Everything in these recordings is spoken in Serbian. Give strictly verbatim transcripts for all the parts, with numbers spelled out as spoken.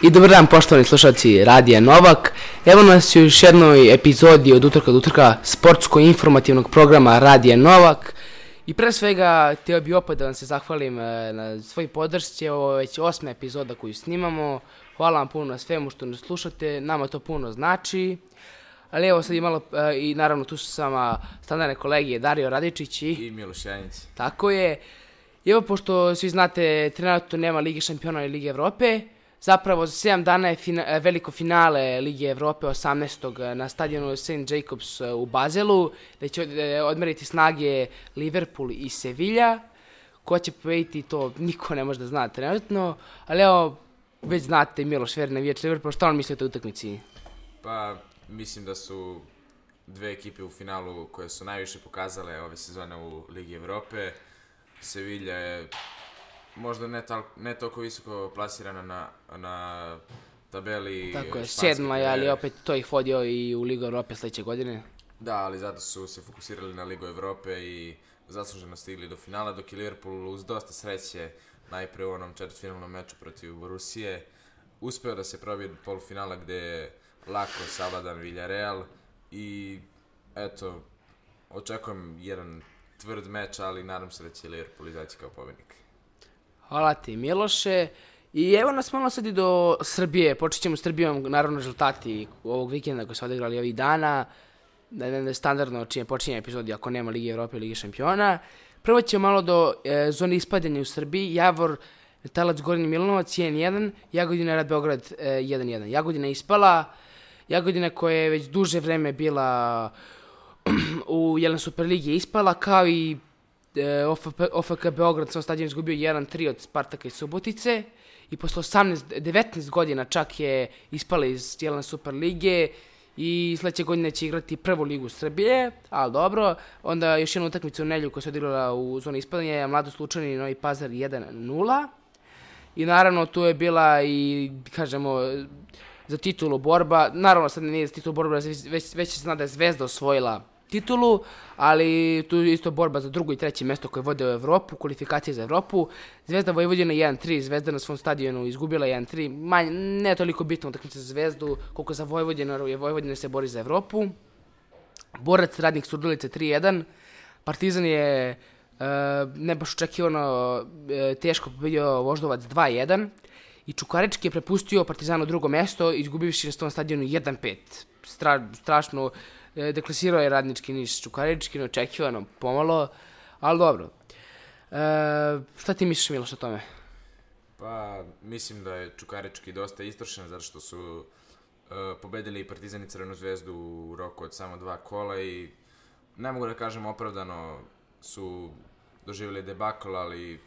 I dobar dan, poštovani slušalci Radija Novak. Evo nas u još jednoj epizodi od utorka do utorka sportsko-informativnog programa Radija Novak. I pre svega, htio bih opet da vam se zahvalim na svoj podršci. Ovo je već osma epizoda koju snimamo. Hvala vam puno na svemu što nas slušate. Nama to puno znači. Ali evo sad i malo, i naravno tu su sama standardne kolege Dario Radičić i... I Miloš Janjić. Tako je. I evo, pošto svi znate, trenutno nema Lige šampiona i Lige Evrope, zapravo za sedam dana je fina, veliko finale Lige Evrope osamnaestog na stadionu Saint Jacobs u Bazelu, gde će odmeriti snage Liverpool i Sevilla. Ko će pobediti, to niko ne može da zna trenutno, ali evo, već znate, Miloš Ver, navijač Liverpoola, šta on misli o toj utakmici? Pa, mislim da su dve ekipe u finalu koje su najviše pokazale ove sezone u Ligi Evrope. Sevilla je možda ne, tal, ne toliko visoko plasirana na, na tabeli. Tako je, sedma je, ali opet to ih vodio i u Ligu Evrope sljedeće godine. Da, ali zato su se fokusirali na Ligu Evrope i zasluženo stigli do finala, dok je Liverpool uz dosta sreće, najpre u onom četvrtfinalnom meču protiv Borusije, uspeo da se probije do polufinala gde je lako savladan Villarreal i eto, očekujem jedan tvrd meč, ali nadam se da će Liverpool izaći kao pobednik. Hvala ti, Miloše. I evo nas malo sad i do Srbije. Počet ćemo s Srbijom, naravno, rezultati ovog vikenda koji su odigrali ovih dana. Da je standardno čime počinje epizodi ako nema Lige Evrope i Lige šampiona. Prvo ćemo malo do e, zone ispadanja u Srbiji. Javor, Talac, Gornji Milanovac jedan jedan, Jagodina, Rad Beograd e, jedan jedan. Jagodina je ispala. Jagodina koja je već duže vreme bila u Jelen Superligi je ispala, kao i e, O F K Beograd sa stadion izgubio jedan tri od Spartaka i Subotice i posle osamnaest devetnaest godina čak je ispala iz Jelen Superlige i sledeće godine će igrati prvu ligu Srbije, ali dobro. Onda još jedna utakmica u nedjelju koja se odigrala u zoni ispadanja je Mladost Lučani i Novi Pazar jedan nula i naravno tu je bila i, kažemo, za titulu borba. Naravno sad nije za titulu borba, već, već se zna da je Zvezda osvojila titulu, ali tu je isto borba za drugo i treće mesto koje vode u Evropu, kvalifikacije za Evropu. Zvezda Vojvodina jedan tri, Zvezda na svom stadionu izgubila jedan tri, manje, ne toliko bitno utakmica za Zvezdu, koliko za Vojvodinu, jer Vojvodina se bori za Evropu. Borac Radnik Surdulice tri jedan, Partizan je e, ne baš očekivano e, teško pobedio Voždovac dva jedan i Čukarički je prepustio Partizanu drugo mesto, izgubivši na svom stadionu jedan pet. Stra, strašno deklasirao je Radnički Niš Čukarički, neočekivano, pomalo, ali dobro. E, šta ti misliš, Miloš, o tome? Pa, mislim da je Čukarički dosta istrošen, zato što su e, pobedili i Partizan i Crvenu Zvezdu u roku od samo dva kola i ne mogu da kažem opravdano su doživjeli debakl, ali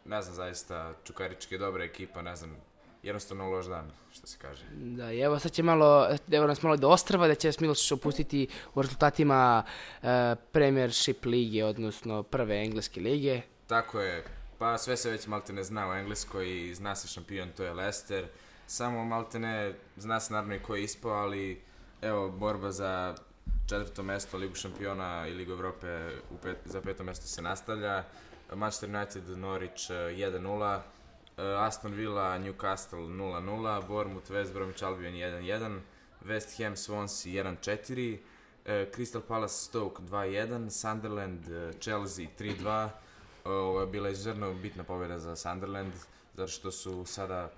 ne znam, zaista Čukarički je dobra ekipa, ne znam, jednostavno loš dan, što se kaže. Da, i evo sad će malo, evo nas malo do Ostrava, da će vas Miloš opustiti u rezultatima uh, Premiership lige, odnosno prve engleske lige. Tako je, pa sve se već maltene zna u Engleskoj i zna se šampion, to je Leicester. Samo maltene zna se naravno i ko je ispao, ali evo, borba za četvrto mesto Ligu šampiona i Ligu Evrope u pet, za peto mesto se nastavlja. Manchester United, Norwich jedan nula. Aston Villa, Newcastle nula nula, Bournemouth, West Bromwich Albion jedan jedan, West Ham, Swansea jedan četiri, Crystal Palace, Stoke dva jedan, Sunderland, Chelsea tri dva. Ovo je bila izuzetno bitna pobjeda za Sunderland, zato što su sada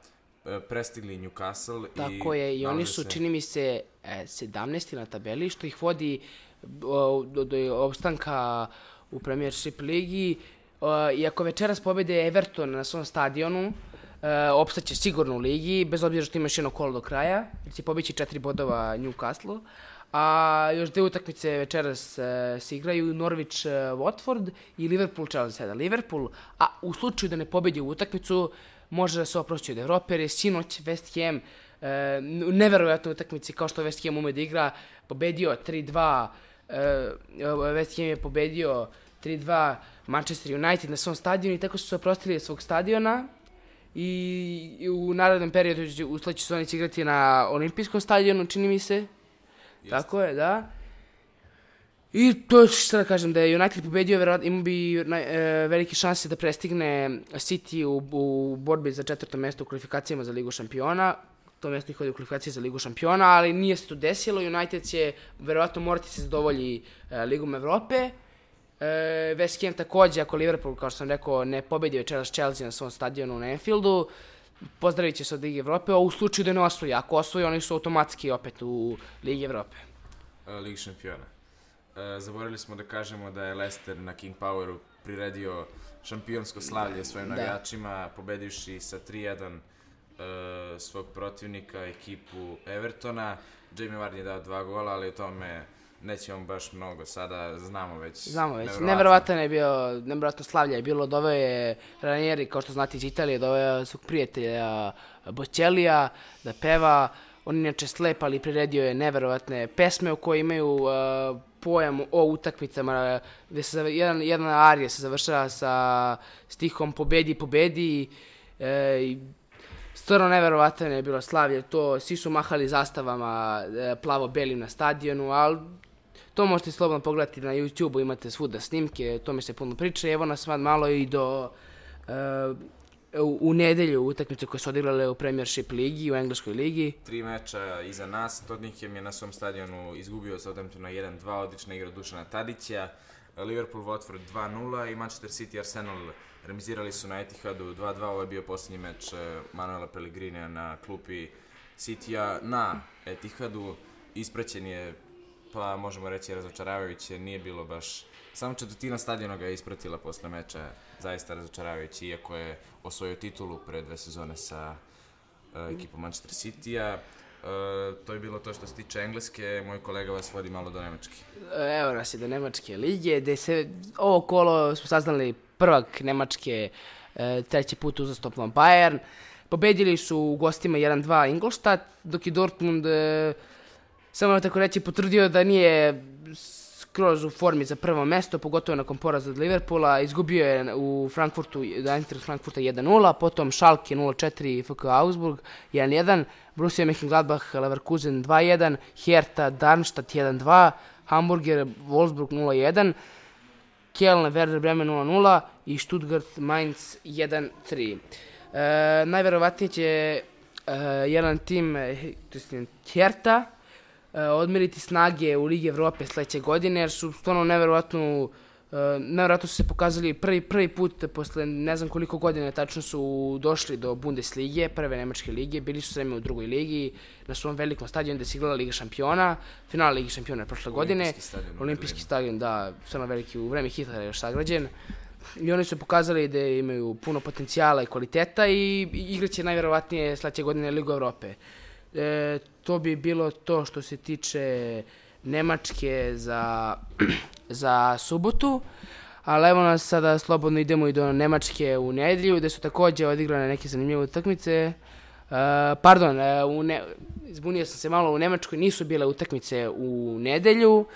prestigli Newcastle. Tako i je, i oni su, se... čini mi se, sedamnaesti na tabeli, što ih vodi do, do, do opstanka u Premiership ligi. Uh, iako večeras pobede Everton na svom stadionu, uh, opstaće sigurno u ligi, bez obzira što ima još jedno kolo do kraja, jer će pobići četiri bodova Newcastle. A još dve utakmice večeras uh, se igraju, Norwich uh, Watford i Liverpool Chelsea. Liverpool, a u slučaju da ne pobedi u utakmicu, može da se oprosti od Evrope, jer je sinoć West Ham uh, u neverovatnoj utakmici, kao što West Ham ume da igra, pobedio tri dva, uh, West Ham je pobedio tri dva Manchester United na svom stadionu i tako su se oprostili svog stadiona i, i u narednom periodu u sledećoj sezoni će igrati na olimpijskom stadionu, čini mi se. Jeste. Tako je, da. I to je što da kažem, da je United pobedio, ima bi e, velike šanse da prestigne City u, u borbi za četvrto mesto u kvalifikacijama za Ligu šampiona. to mjesto ih vodi u kvalifikaciji za Ligu šampiona, ali nije se to desilo. United će verovatno morati se zadovolji uh, Ligom Evrope. Uh, West Ham takođe, ako Liverpool, kao što sam rekao, ne pobedi večeras Chelsea na svom stadionu na Anfieldu, pozdravit će se od Lige Evrope, a u slučaju da ne osvoji. Ako osvoji, oni su automatski opet u Ligi Evrope. Uh, Ligi šampiona. Uh, zaboravili smo da kažemo da je Leicester na King Poweru priredio šampionsko slavlje svojim navijačima, pobedivši sa tri jedan uh, svog protivnika, ekipu Evertona. Jamie Vardy je dao dva gola, ali o tome nećemo baš mnogo, sada znamo već. Znamo već, neverovatan je bio, neverovatno slavlje je bilo, doveo je Ranieri, kao što znate iz Italije, doveo svog prijatelja Bočelija da peva. On inače slep, ali priredio je neverovatne pesme u koje imaju uh, pojam o utakmicama, gde se jedan, jedna arija se završava sa stihom pobedi, pobedi. E, i stvarno neverovatan je bilo slavlje to, svi su mahali zastavama e, plavo-belim na stadionu, ali to možete slobodno pogledati na YouTube-u, imate svuda snimke, to mi se puno priča. Evo nas malo i do e, u, u nedelju utakmice koje su odigrale u Premiership ligi, u engleskoj ligi. Tri meča iza nas, Tottenham je na svom stadionu izgubio Southamptona jedan dva, odlična igra Dušana Tadića, Liverpool Watford dva nula i Manchester City Arsenal remizirali su na Etihadu dva dva, ovo je bio posljednji meč Manuela Pellegrinija na klupi Citya na Etihadu. Ispraćen je, pa možemo reći, razočaravajuće, nije bilo baš, samo četvrtina stadiona ga je ispratila posle meča, zaista razočaravajući, iako je osvojio titulu pre dve sezone sa uh, ekipom Manchester Citya. Uh, to je bilo to što se tiče Engleske, moj kolega vas vodi malo do Nemačke. Evo nas je do Nemačke lige, gde se ovo kolo smo saznali prvak Nemačke, e, treći put uzastopno Bayern. Pobedili su u gostima jedan dva Ingolstadt, dok je Dortmund, e, samo tako reći, potvrdio da nije skroz u formi za prvo mesto, pogotovo nakon poraza od Liverpoola. Izgubio je u Frankfurtu, da Eintracht Frankfurta jedan nula, potom Schalke nula četiri, F K Augsburg jedan jedan, Borussia Mönchengladbach Leverkusen dva jedan, Hertha Darmstadt jedan dva, Hamburger Wolfsburg nula jedan, Köln Werder Bremen nula nula i Stuttgart Mainz jedan tri. E, najverovatnije će e, jedan tim, Hertha, e, odmeriti snage u Ligi Evrope sledeće godine, jer su stvarno neverovatno, e, neverovatno su se pokazali prvi, prvi put posle ne znam koliko godina tačno su došli do Bundeslige, prve nemačke lige, bili su sve u drugoj ligi, na svom velikom stadionu gde se igrala Liga šampiona, finale Ligi šampiona prošle godine, olimpijski stadion, da, stvarno veliki, u vreme Hitlera još sagrađen. I oni su pokazali da imaju puno potencijala i kvaliteta i igraće najverovatnije sledeće godine Ligu Evrope. E, to bi bilo to što se tiče Nemačke za, za subotu, ali evo nas sada slobodno idemo i do Nemačke u nedelju, gde su takođe odigrane neke zanimljive utakmice. Uh, pardon, uh, u ne, izbunio sam se malo, u Nemačkoj nisu bile utakmice u nedelju,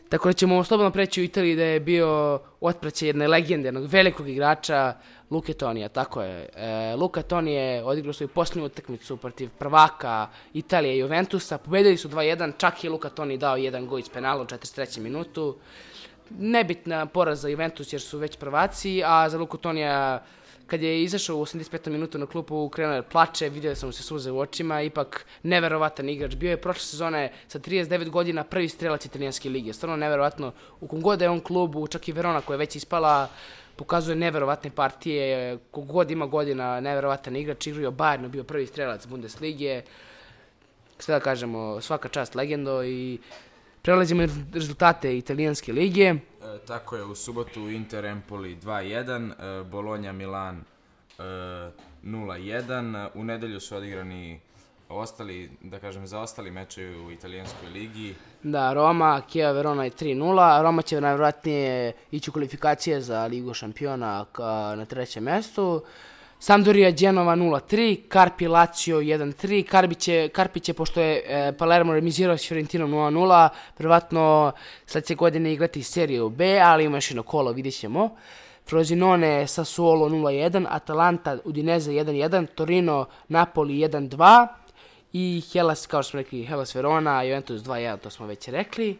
tako da ćemo slobodno preći u Italiji, da je bio otpraćaj jedne legende, jednog velikog igrača, Luke Tonija, tako je. Uh, Luka Toni je odigrao svoju posljednju utakmicu protiv prvaka Italije i Juventusa, pobedili su dva jedan, čak je Luka Toni dao jedan gol iz penala u četrdeset trećem minutu. Nebitna poraz za Juventus jer su već prvaci, a za Luku Tonija, kad je izašao u osamdeset petom minutu na klupu, krenuo je plače, vidio da sam mu se suze u očima, ipak neverovatan igrač. Bio je prošle sezone sa trideset devet godina prvi strelac italijanske lige. Stvarno neverovatno. U kom god je on klubu, čak i Verona koja je već ispala, pokazuje neverovatne partije. Kogod ima godina, neverovatan igrač, igrao Bayernu, bio prvi strelac Bundeslige. Sve da kažemo, svaka čast legendo i prelazimo rezultate italijanske lige. E, tako je, u subotu Inter Empoli dva jedan, e, Bologna Milan e, nula jedan, u nedelju su odigrani ostali, da kažem, zaostali mečevi u italijanskoj ligi. Da, Roma, Chievo Verona je tri nula, Roma će najvjerojatnije ići u kvalifikacije za Ligu šampiona na trećem mjestu. Sampdoria Genova nula tri, Carpi Lazio jedan tri, Carpi će, Carpi će pošto je e, Palermo remizirao s Fiorentinom nula nula, prvatno sledeće godine igrati seriju B, ali ima još jedno kolo, vidjet ćemo. Frosinone Sassuolo nula jedan, Atalanta Udinese jedan jedan, Torino Napoli jedan dva i Hellas, kao što smo rekli, Hellas Verona, Juventus dva jedan, to smo već rekli.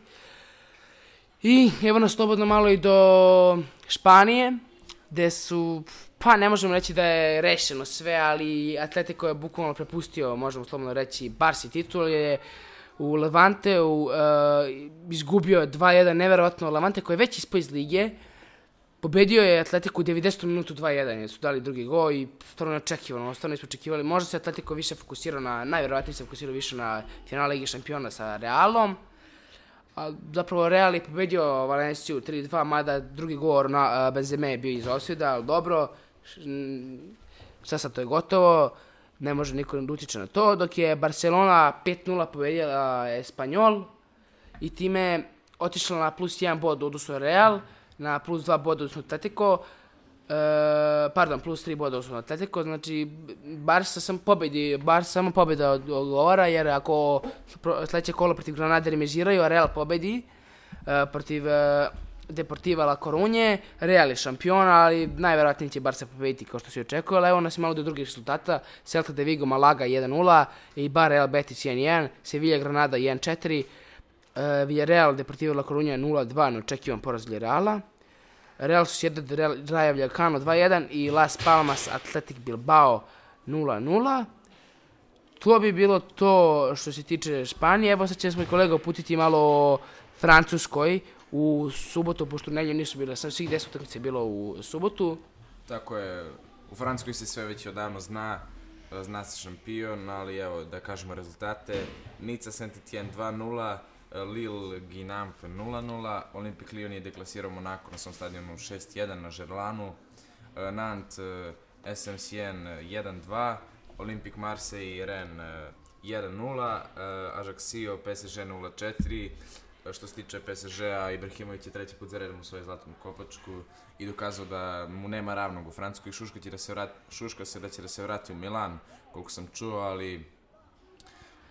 I evo nas slobodno malo i do Španije. gde su, pa ne možemo reći da je rešeno sve, ali Atletico je bukvalno prepustio, možemo slobodno reći, Barsi titul je u Levanteu uh, izgubio dva jedan, neverovatno. Levante koji je već ispao iz lige, pobedio je Atletico u devedesetom minutu dva jedan, jer su dali drugi gol i stvarno neočekivano, stvarno nismo očekivali. Možda se Atletico više fokusirao na, najverovatnije se fokusirao više na finale Lige šampiona sa Realom, a zapravo Real je pobedio Valenciju tri dva, mada drugi gol na Benzeme je bio iz osvjeda, ali dobro, sad sad to je gotovo, ne može niko da utiče na to, dok je Barcelona pet nula pobedila Espanyol i time otišla na plus jedan bod odnosno Real, na plus dva boda odnosno Atletico, e, pardon, plus tri boda odnosno Atletico, znači Barca sam pobedi, Barca samo pobeda odgovara, jer ako sledeće kolo protiv Granade remiziraju, a Real pobedi e, protiv e, Deportiva La Coruñe, Real je šampion, ali najverovatnije će Barca pobediti kao što se očekuje, ali evo nas malo do drugih rezultata, Celta de Vigo Malaga jedan nula, Eibar Real Betis jedan jedan, Sevilla Granada jedan četiri, Uh, Villarreal Deportivo La Coruña nula dva, neočekivan poraz Villarreala. Real Sociedad Rayo Vallecano dva jedan i Las Palmas Athletic Bilbao nula nula. To bi bilo to što se tiče Španije. Evo sad će smo i kolega uputiti malo o Francuskoj u subotu, pošto nedjelje nisu bile, sam svih deset utakmica bilo u subotu. Tako je, u Francuskoj se sve već odavno zna, zna se šampion, ali evo da kažemo rezultate. Nica Saint-Étienne dva nula, Lille Ginamp nula nula, Olympique Lyon je deklasirao Monako na svom stadionu šest jedan na Žerlanu, Nantes S M Sienne jedan dva, Olympique Marseille Rennes jedan nula, Ajaccio P S G nula četiri. Što se tiče P S G-a, Ibrahimović je treći put za redom u svoju zlatnu kopačku i dokazao da mu nema ravnog u Francuskoj. Šuška, će da se vrati, šuška se da će da se vrati u Milan, koliko sam čuo, ali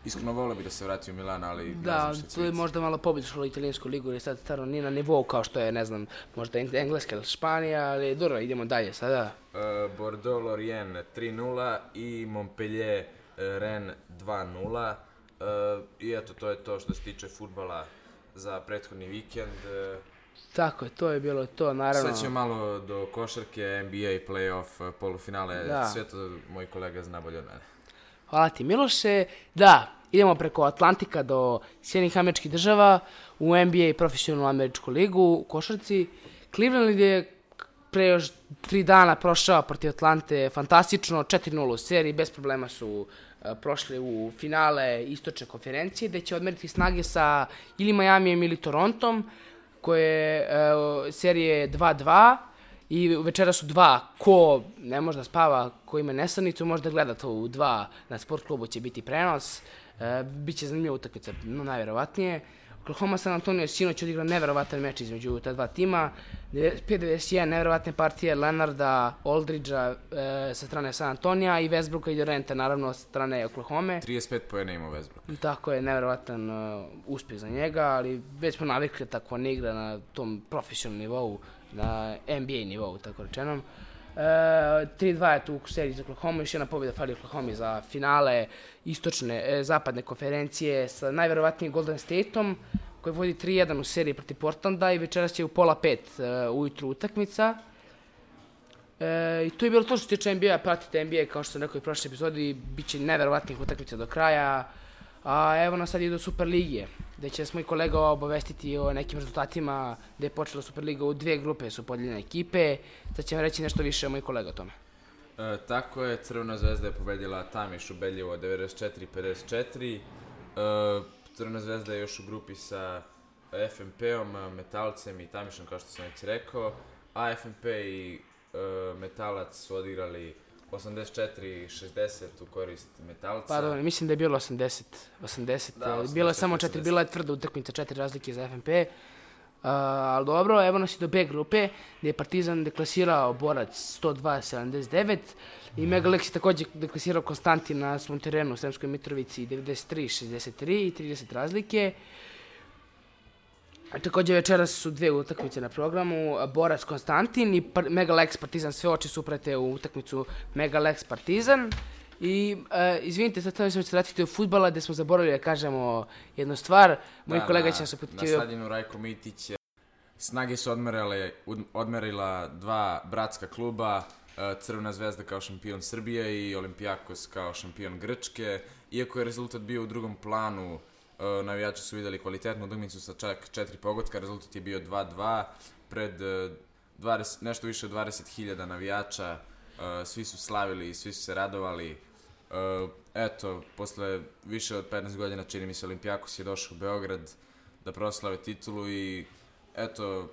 iskreno volio bi da se vrati u Milan, ali da, ne znam što će. Da, to je možda malo pobišlo italijansku ligu, jer sad stvarno nije na nivou kao što je, ne znam, možda Engleska ili Španija, ali dobro, idemo dalje sada. Uh, Bordeaux Lorient tri nula i Montpellier uh, Rennes dva nula. Uh, I eto, to je to što se tiče fudbala za prethodni vikend. Uh, Tako je, to je bilo to, naravno. Sad ćemo malo do košarke, N B A, playoff, polufinale, da. Sve to moj kolega zna bolje od mene. Hvala ti, Miloše. Da, idemo preko Atlantika do Sjedinjenih Američkih Država u N B A i profesionalnu američku ligu u košarci. Cleveland je pre još tri dana prošao protiv Atlante fantastično, četiri nula u seriji, bez problema su uh, prošli u finale istočne konferencije, gde će odmeriti snage sa ili Miamijem ili Torontom, koje uh, serije dva dva. I večera su dva, ko ne može da spava, ko ima nesanicu, može da gleda to u dva, na sport klubu će biti prenos, e, biće zanimljiva utakmica, no najverovatnije. Oklahoma San Antonio sinoć odigrao neverovatan meč između ta dva tima, pet devedeset jedan, neverovatne partije Leonarda, Aldridgea e, sa strane San Antonija i Westbrooka i Duranta, naravno sa strane Oklahome. trideset pet poena ima Westbrook. Tako je, neverovatan uh, uspjeh za njega, ali već smo navikli tako ne igra na tom profesionalnom nivou, na N B A nivou, tako rečenom. E, tri dva je tu u seriji za Oklahoma, još jedna pobjeda fali Oklahoma za finale istočne, e, zapadne konferencije sa najverovatnijim Golden Stateom, koji vodi tri jedan u seriji protiv Portlanda i večeras će u pola pet e, ujutru utakmica. E, I to je bilo to što se tiče N B A, pratite N B A kao što sam rekao i u prošloj epizodi, bit će neverovatnih utakmica do kraja. A evo nas sad i do Superligije, gde će smo i kolega obavestiti o nekim rezultatima gde je počela Superliga, u dve grupe su podeljene ekipe, sad će vam reći nešto više o moj kolega o tome. E, tako je, Crvena zvezda je pobedila Tamiš ubedljivo devedeset četiri pedeset četiri. E, Crvena zvezda je još u grupi sa F M P-om, Metalcem i Tamišom, kao što sam već rekao, a F M P i e, Metalac su odigrali osamdeset četiri šezdeset u korist Metalca. Pa dobro, mislim da je bilo osamdeset, osamdeset, da, bilo je samo četiri, bila je tvrda utakmica, četiri razlike za F M P. Uh, ali dobro, evo nas i do B grupe, gdje je Partizan deklasirao Borac sto dva sedamdeset devet i Megalex je također deklasirao Konstantin na svom terenu u Sremskoj Mitrovici devedeset tri šezdeset tri i trideset razlike. Također večeras su dve utakmice na programu, Borac Konstantin i Par- Megalex Partizan, sve oči su uprete u utakmicu Megalex Partizan. I e, izvinite, sad ćemo se vratiti do fudbala gdje smo zaboravili da kažemo jednu stvar. Moj da, kolega na, će nas uputiti... Na stadionu Rajko Mitić Snage su odmerile, odmerila dva bratska kluba, Crvena zvezda kao šampion Srbije i Olimpijakos kao šampion Grčke. Iako je rezultat bio u drugom planu, navijači su videli kvalitetnu utakmicu sa čak četiri pogotka, rezultat je bio dva dva pred dvadeset, nešto više od dvadeset hiljada navijača, svi su slavili i svi su se radovali. Eto, posle više od petnaest godina, čini mi se, Olimpijakos je došao u Beograd da proslave titulu i eto,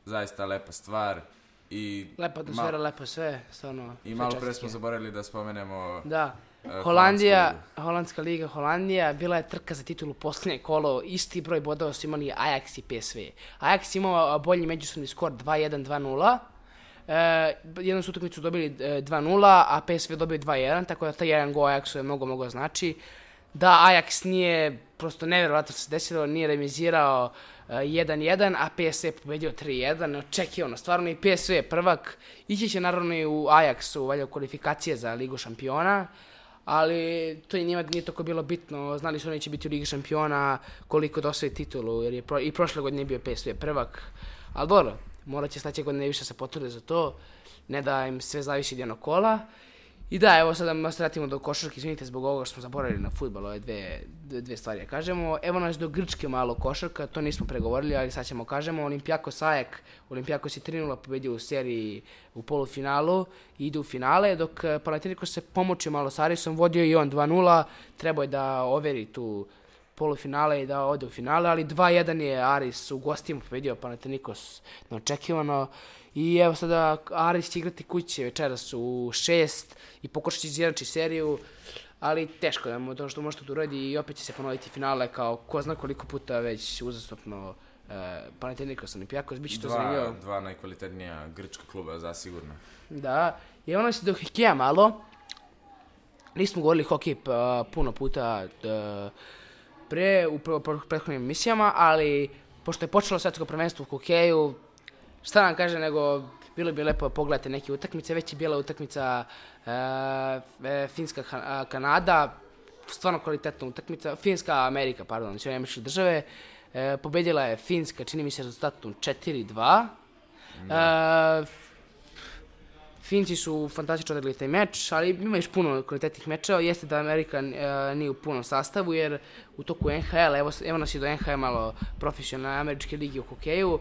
zaista lepa stvar. I lepa atmosfera, lepo sve, stvarno. I malo pre smo zaboravili da spomenemo da. Holandija, Holandska liga Holandija, bila je trka za titulu posljednje kolo, isti broj bodova su imali Ajax i P S V. Ajax imao bolji međusobni skor dva jedan dva nula, e, jednu su utakmicu dobili dva nula, a P S V dobio dva jedan, tako da taj jedan gol Ajaxu je mnogo, mnogo znači. Da Ajax nije, prosto nevjerovatno se desilo, nije remizirao jedan jedan, a P S V pobedio tri jedan, neočekivano, stvarno i P S V je prvak, ići će naravno i u Ajaxu, valjda kvalifikacije za Ligu šampiona, ali to i njima nije toliko bilo bitno, znali su oni će biti u Ligi šampiona koliko da osvoji titulu, jer je pro, i prošle godine je bio P S V prvak, ali dobro, morat će sledeće godine više se potrude za to, ne da im sve zavisi od jednog kola. I da, evo sada da se vratimo do košarke, izvinite zbog ovoga što smo zaboravili na fudbal, ove dve, dve stvari da kažemo. Evo nas do Grčke malo košarka, to nismo pregovorili, ali sad ćemo kažemo. Olimpijakos Ajek, Olimpijakos je tri nula pobedio u seriji u polufinalu i ide u finale, dok Panathinaikos se pomoćio malo s Arisom, vodio i on dva nula, trebao je da overi tu polufinale i da ode u finale, ali dva jedan je Aris u gostima pobedio Panathinaikos neočekivano. I evo sada Aris će igrati kuće večeras u šest i pokušat će izjednačiti seriju, ali teško da mu to što možete da uradi i opet će se ponoviti finale kao ko zna koliko puta već uzastopno e, Panathinaikos Olimpijakos, bit će to zanimljivo. Dva najkvalitetnija grčka kluba, zasigurno. Da, i evo nas do hokeja malo. Nismo govorili hokej puno puta e, pre u prethodnim emisijama, ali pošto je počelo svetsko prvenstvo u hokeju, šta nam kaže nego bilo bi lepo pogledati neke utakmice, već je bila utakmica e, Finska-Kanada, stvarno kvalitetna utakmica, Finska-Amerika, pardon, sve američke države, e, pobedila je Finska, čini mi se rezultatom četiri dva. E, Finci su fantastično odigrali taj meč, ali ima još puno kvalitetnih mečeva. Jeste da Amerika e, nije u punom sastavu, jer u toku N H L, evo, evo nas i do N H L malo profesionalne američke ligi u hokeju,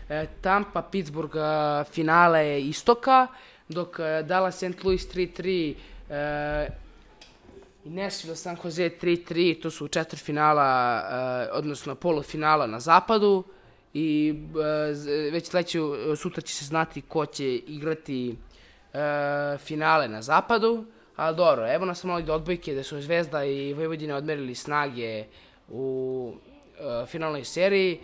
e, Tampa, Pittsburgh, e, finale istoka, dok e, Dallas, Saint Louis tri tri e, i Nashville, San Jose tri tri, to su četvrtfinala, e, odnosno polufinala na zapadu. I e, već sledeću sutra će se znati ko će igrati E, finale na zapadu, ali dobro, evo nas malo do odbojke da su Zvezda i Vojvodina odmerili Snage u e, finalnoj seriji,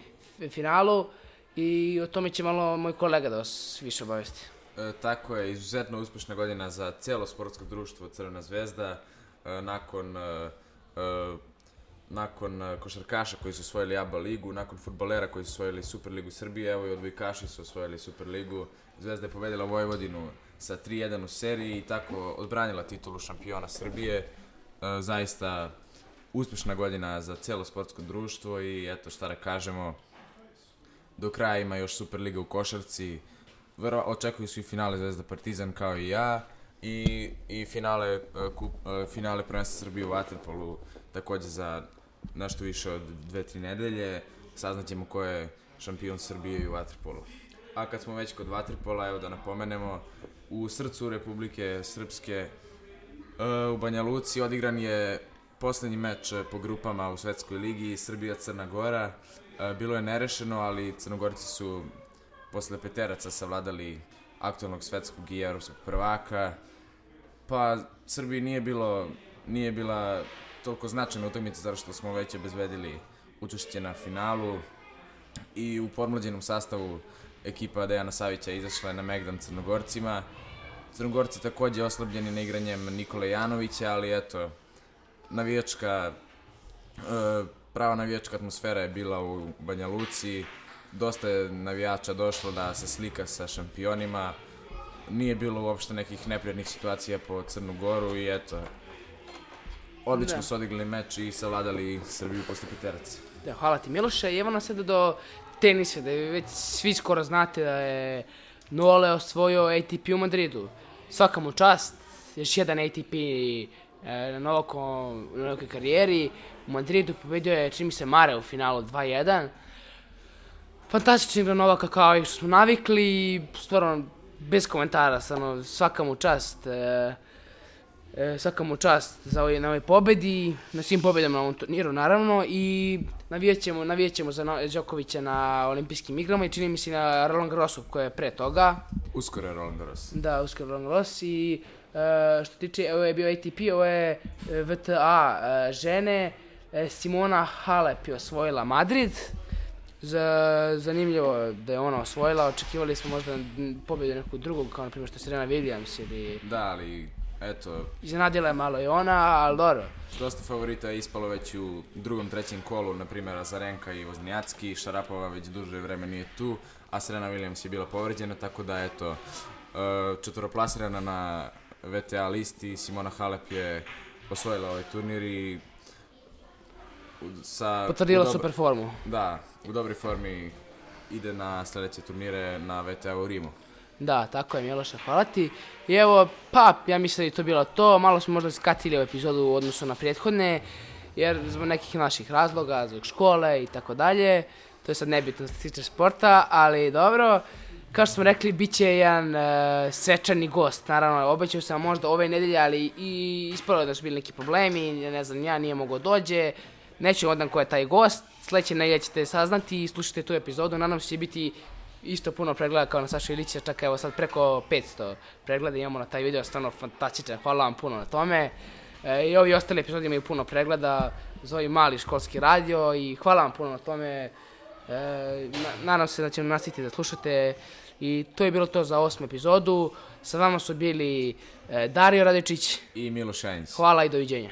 finalu, i o tome će malo moj kolega da vas više obavesti. E, tako je, izuzetno uspešna godina za cijelo sportsko društvo Crvena zvezda, e, nakon e, e, nakon košarkaša koji su osvojili A B A ligu, nakon fudbalera koji su osvojili Superligu Srbije, evo i odbojkaši su osvojili Superligu. Zvezda je pobedila Vojvodinu sa tri jedan u seriji i tako odbranila titulu šampiona Srbije. E, zaista uspešna godina za cijelo sportsko društvo i eto šta da kažemo, do kraja ima još Superliga u košarci, Vero, očekuju su i finale Zvezda Partizan kao i ja i, i finale, kup, finale prvenstva Srbije u vaterpolu također za nešto više od dve tri nedelje. Saznaćemo ko je šampion Srbije u vaterpolu. A kad smo već kod vaterpola, evo da napomenemo, u srcu Republike Srpske u Banja Luci odigran je poslednji meč po grupama u Svetskoj ligi Srbija-Crna Gora. Bilo je nerešeno, ali Crnogorci su posle peteraca savladali aktualnog svetskog i evropskog prvaka. Pa Srbiji nije bilo, nije bila toliko značajna utakmica zato što smo već obezbedili učešće na finalu i u podmlađenom sastavu ekipa Dejana Savića izašla je na megdan Crnogorcima. Crnogorci također oslabljeni na igranjem Nikole Janovića, ali eto, navijačka, prava navijačka atmosfera je bila u Banja Luci, dosta je navijača došlo da se slika sa šampionima, nije bilo uopšte nekih neprijatnih situacija po Crnu Goru i eto, odlično da. su odigrali meč i savladali Srbiju posle peteraca. Da, hvala ti Miloše. I evo nas sada do tenisa, da već svi skoro znate da je Nole osvojio A T P u Madridu. Svaka mu čast, još jedan A T P e, na Novakom, u novakoj karijeri. U Madridu pobedio je, čini mi se, Mare u finalu dva jedan. Fantastični igra Novaka kao i što smo navikli, stvarno bez komentara, stvarno svaka mu čast. E, e, svaka mu čast za ovaj, na ovoj pobedi, na svim pobedama na ovom turniru naravno i navijat ćemo, navijat ćemo za no, Đokovića na olimpijskim igrama i čini mi se na Roland Garrosu koje je pre toga. Uskoro je Roland Garros. Da, uskoro Roland Garros i e, što tiče, ovo je bio A T P, ovo je V T A e, žene, e, Simona Halep je osvojila Madrid. Za, zanimljivo da je ona osvojila, očekivali smo možda pobjedu nekog drugog, kao na primjer što je Serena Williams ili... Da, ali eto... Iznenadila je malo i ona, ali dobro. Dosta favorita je ispalo već u drugom, trećem kolu, na primjer Azarenka i Wozniacki, Šarapova već duže vreme nije tu, a Serena Williams je bila povređena, tako da eto, četvoroplasirana na V T A listi, Simona Halep je osvojila ovaj turnir i sa... Potvrdila super formu. Da, u dobroj formi ide na sljedeće turnire na V T A u Rimu. Da, tako je, Miloša, hvala ti. I evo, pa, ja mislim da je to bilo to. Malo smo možda skatili u epizodu u odnosu na prethodne, jer zbog nekih naših razloga, zbog škole i tako dalje. To je sad nebitno što se tiče sporta, ali dobro. Kao što smo rekli, bit će jedan uh, svečani gost. Naravno, obećao sam možda ove nedelje, ali i ispalo da su bili neki problemi, ne znam, ja nije mogao dođe. Neću odam ko je taj gost, sljedeće nedelje ćete saznati i slušajte tu epizodu, nadam se će biti isto puno pregleda kao na Saša Ilića, čak evo sad preko petsto pregleda imamo na taj video, stvarno fantastičan, hvala vam puno na tome. E, I ovi ostali epizodi imaju puno pregleda za ovaj mali školski radio i hvala vam puno na tome. E, na, nadam se da ćemo nastaviti da slušate i to je bilo to za osmu epizodu. Sa vama su bili e, Dario Radičić i Miloš Šajnić. Hvala i doviđenja.